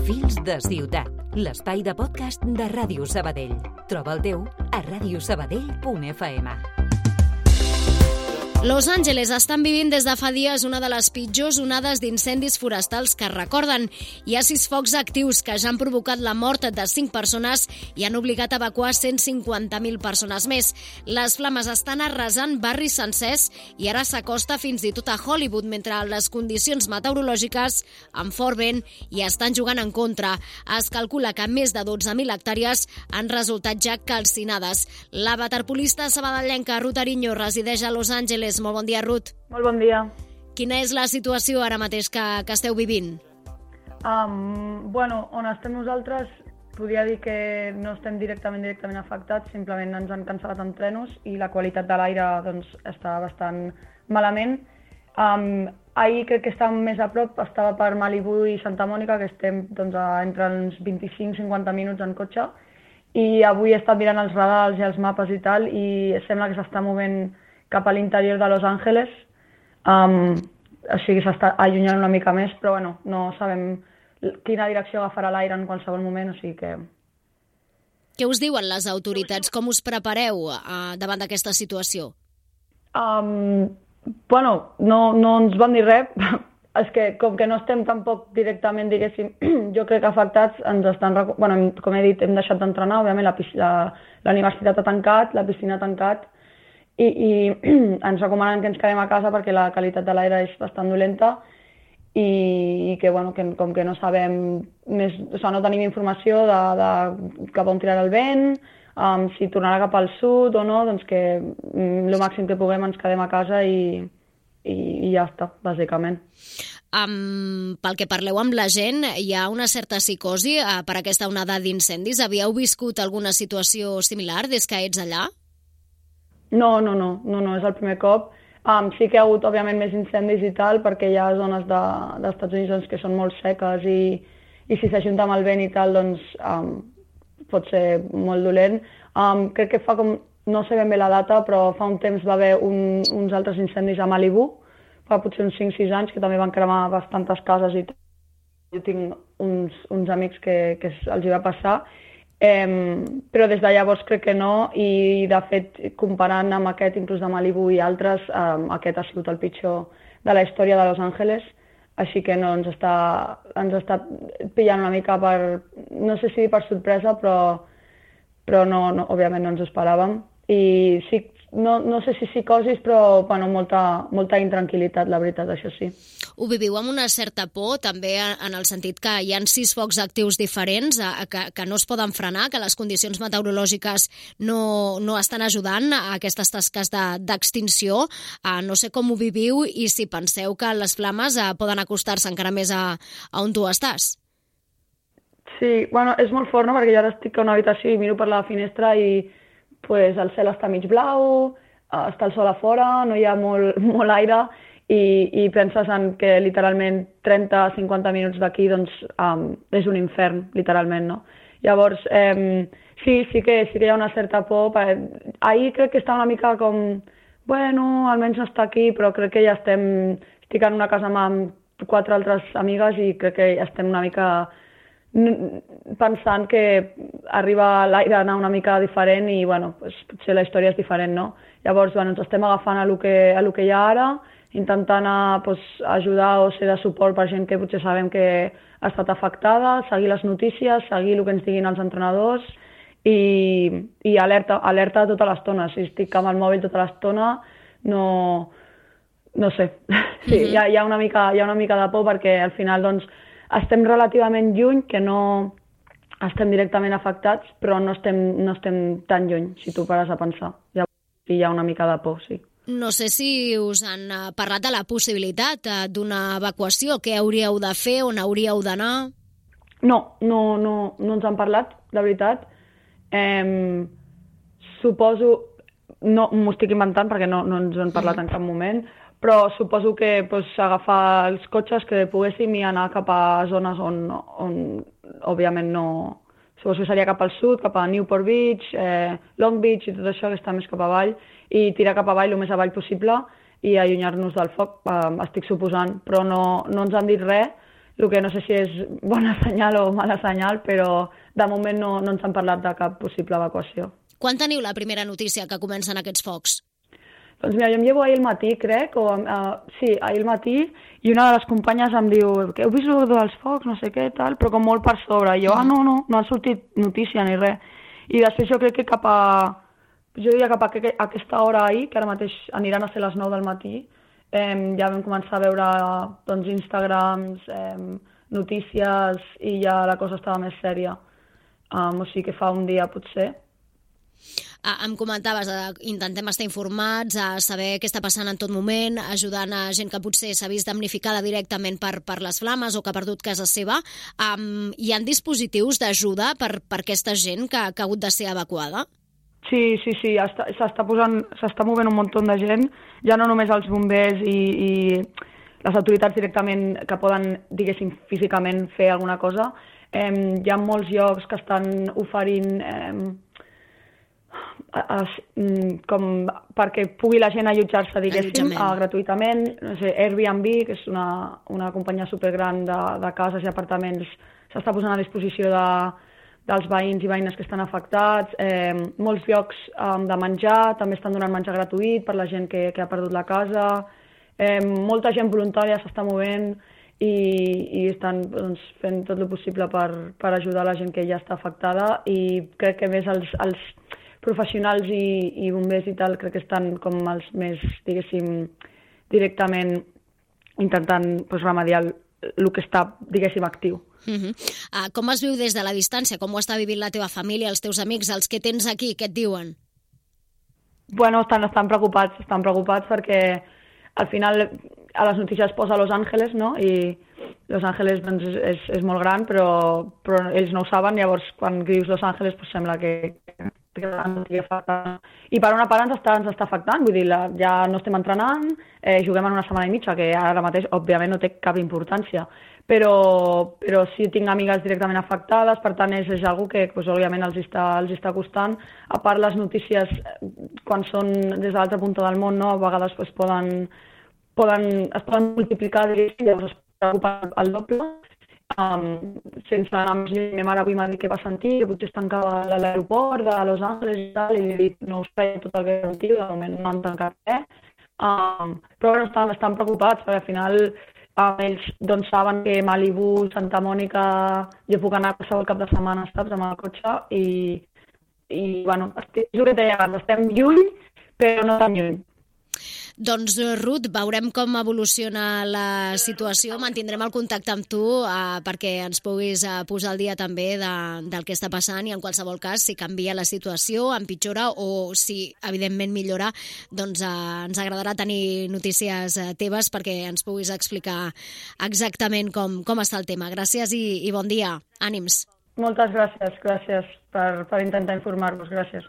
Fils de ciutat, l'espai de podcast de Ràdio Sabadell. Troba el teu a radiosabadell.fm. Los Angeles estan vivint des de fa dies una de les pitjors onades d'incendis forestals que recorden. Hi ha 6 focs actius que ja han provocat la mort de 5 persones i han obligat a evacuar 150.000 persones més. Les flames estan arrasant barris sencers i ara s'acosta fins i tot a Hollywood, mentre les condicions meteorològiques, amb fort vent, hi estan jugant en contra. Es calcula que més de 12.000 hectàrees han resultat ja calcinades. La waterpolista sabadellenca Ruth Ariño resideix a Los Angeles. Molt bon dia, Ruth. Molt bon dia. Quina és la situació ara mateix que esteu vivint? On estem nosaltres, podria dir que no estem directament afectats, simplement ens han cancel·lat entrenos i la qualitat de l'aire està bastant malament. Ahir crec que estàvem més a prop, estava per Malibu i Santa Mònica, que estem entre uns 25-50 minuts en cotxe, i avui he estat mirant els radars i els mapes i tal, i sembla que s'està movent cap a l'interior de Los Angeles, o sigui, s'està allunyant una mica més, però no sabem quina direcció agafarà l'aire en qualsevol moment, o sigui que... Què us diuen les autoritats? Com us prepareu davant d'aquesta situació? No ens van dir res, és que com que no estem tampoc directament, diguéssim, jo crec que afectats ens estan... com he dit, hem deixat d'entrenar, òbviament la universitat ha tancat, la piscina ha tancat, i ens recomanen que ens quedem a casa perquè la qualitat de l'aire és bastant dolenta i que, com que no sabem més, no tenim informació de cap on tirarà el vent, si tornarà cap al sud o no, doncs que el màxim que puguem ens quedem a casa i ja està, bàsicament. Pel que parleu amb la gent, hi ha una certa psicosi per aquesta onada d'incendis? Havíeu viscut alguna situació similar des que ets allà? No, és el primer cop. Sí que hi ha hagut, òbviament, més incendis i tal, perquè hi ha zones dels Estats Units que són molt seques i si s'ajunta amb el vent i tal, doncs pot ser molt dolent. Crec que fa com, no sé ben bé la data, però fa un temps va haver uns altres incendis a Malibu, fa potser uns 5-6 anys, que també van cremar bastantes cases i tal. Jo tinc uns amics que els hi va passar, però des de llavors crec que no, i de fet, comparant amb aquest, inclús de Malibu i altres, aquest ha sigut el pitjor de la història de Los Angeles, així que no, ens està pillant una mica no sé si per sorpresa, però no, òbviament no ens ho esperàvem. I sí, no sé si psicosis, però molta intranquil·litat, la veritat, això sí. Ho viviu amb una certa por, també en el sentit que hi ha 6 focs actius diferents, que no es poden frenar, que les condicions meteorològiques no estan ajudant a aquestes tasques d'extinció. No sé com ho viviu i si penseu que les flames poden acostar-se encara més a on tu estàs. Sí, és molt fort, no?, perquè jo ara estic a una habitació i miro per la finestra i el cel està mig blau, està el sol a fora, no hi ha molt aire i penses en que literalment 30-50 minuts d'aquí és un infern, literalment, no? Llavors, sí que hi ha una certa por. Ahir crec que està una mica com, almenys no està aquí, però crec que ja estic en una casa amb 4 altres amigues i crec que ja estem una mica pensant que arriba l'aire a anar una mica diferent i potser la història és diferent, no? Llavors ens estem agafant a lo que hi ha ara, intentant ajudar o ser de suport per gent que potser sabem que ha estat afectada, seguir les notícies, seguir el que ens diguin els entrenadors i alerta tota l'estona. Si estic amb el mòbil tota l'estona, no sé. Sí, hi ha una mica de por perquè al final estem relativament lluny, que no estem directament afectats, però no estem tan lluny, si tu pares a pensar. Llavors hi ha una mica de por, sí. No sé si us han parlat de la possibilitat d'una evacuació. Què hauríeu de fer, on hauríeu d'anar? No ens han parlat, la veritat. Suposo, no m'ho estic inventant perquè no ens han parlat en cap moment, però suposo que agafar els cotxes que poguéssim i anar cap a zones on òbviament no... Suposo que seria cap al sud, cap a Newport Beach, Long Beach i tot això, que està més cap avall, i tirar cap avall el més avall possible i allunyar-nos del foc, estic suposant. Però no ens han dit res, el que no sé si és bona senyal o mala senyal, però de moment no ens han parlat de cap possible evacuació. Quan teniu la primera notícia que comencen aquests focs? Doncs mira, jo em llevo ahir al matí, crec, sí, ahir al matí, i una de les companyes em diu que heu vist el dels focs, no sé què, tal, però com molt per sobre. I jo, no ha sortit notícia ni res. I després jo crec que jo diria cap a aquesta hora ahir, que ara mateix aniran a ser les 9 del matí, ja vam començar a veure doncs, Instagrams, notícies, i ja la cosa estava més sèria. O sigui que fa un dia potser. Em comentaves, intentem estar informats, a saber què està passant en tot moment, ajudant a gent que potser s'ha vist damnificada directament per les flames o que ha perdut casa seva. Hi ha dispositius d'ajuda per aquesta gent que ha hagut de ser evacuada? Sí, s'està movent un munt de gent, ja no només els bombers i les autoritats directament que poden, diguéssim, físicament fer alguna cosa. Hi ha molts llocs que estan oferint com perquè pugui la gent allotjar-se, diguéssim, gratuïtament. No sé, Airbnb, que és una companyia supergran de cases i apartaments, s'està posant a disposició dels veïns i veïnes que estan afectats. Molts llocs de menjar, també estan donant menjar gratuït per la gent que ha perdut la casa. Molta gent voluntària s'està movent i estan fent tot el possible per ajudar la gent que ja està afectada, i crec que més els professionals i bombers i tal, crec que estan com els més, diguéssim, directament intentant remediar el que està, diguéssim, actiu. Com es viu des de la distància? Com ho està vivint la teva família, els teus amics, els que tens aquí? Què et diuen? Bueno, estan preocupats perquè al final a les notícies posa Los Angeles, no? I Los Angeles doncs, és molt gran, però ells no ho saben, llavors quan dius Los Angeles doncs sembla que i per una part ens està afectant, vull dir, ja no estem entrenant, juguem en una setmana i mitja, que ara mateix òbviament no té cap importància, però sí tinc amigues directament afectades, per tant és algo que òbviament els està costant. A part les notícies, quan són des de l'altra punta del món, no, a vegades es poden multiplicar, llavors es preocupen el doble. Sense anar més lluny, ma mare avui m'ha dit que va sentir que potser es tancava l'aeroport de Los Angeles i tal, i li he dit no us feia tot el que sentiu, de moment no han tancat res, però estan preocupats perquè al final ells doncs saben que Malibu, Santa Mònica, jo puc anar qualsevol cap de setmana, saps, amb el cotxe, i bueno, és el que deia abans, estem lluny però no tan lluny. Doncs, Ruth, veurem com evoluciona la situació, mantindrem el contacte amb tu perquè ens puguis posar al dia també del que està passant, i en qualsevol cas, si canvia la situació, empitjora o si evidentment millora, doncs ens agradarà tenir notícies teves perquè ens puguis explicar exactament com està el tema. Gràcies i bon dia. Ànims. Moltes gràcies per intentar informar-vos. Gràcies.